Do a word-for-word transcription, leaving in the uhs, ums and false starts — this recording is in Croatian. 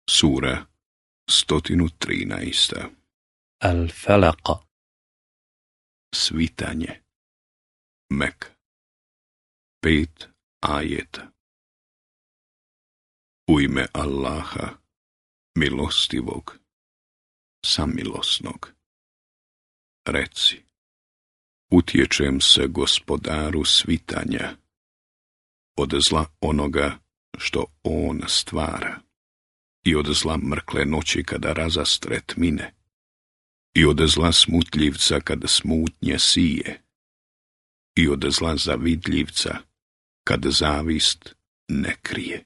Sura sto trinaest. Al-Falaq. Svitanje. Mek. Pet ajeta. U ime Allaha, milostivog, samilosnog. Reci, utječem se Gospodaru svitanja, od zla onoga što on stvara, i od zla mrkle noći kada razastre tmine, i od zla smutljivca kada smutnje sije, i od zla zavidljivca kad zavist ne krije.